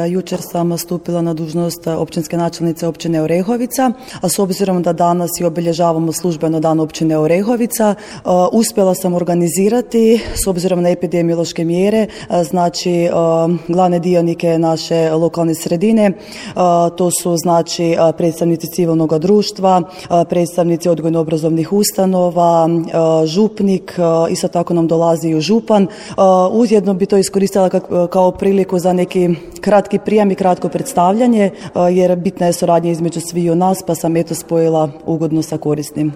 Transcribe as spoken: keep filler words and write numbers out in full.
Jučer sam stupila na dužnost općinske načelnice općine Orehovica, a s obzirom da danas i obilježavamo službeno dan općine Orehovica, uspjela sam organizirati, s obzirom na epidemiološke mjere, znači glavne dionike naše lokalne sredine, to su znači predstavnici civilnog društva, predstavnici odgojno-obrazovnih ustanova, župnik, isto tako nam dolazi i župan. Ujedno bi to iskoristila kao priliku za neki kratki prijam i kratko predstavljanje, jer bitna je suradnja između sviju nas, pa sam eto spojila ugodno sa korisnim.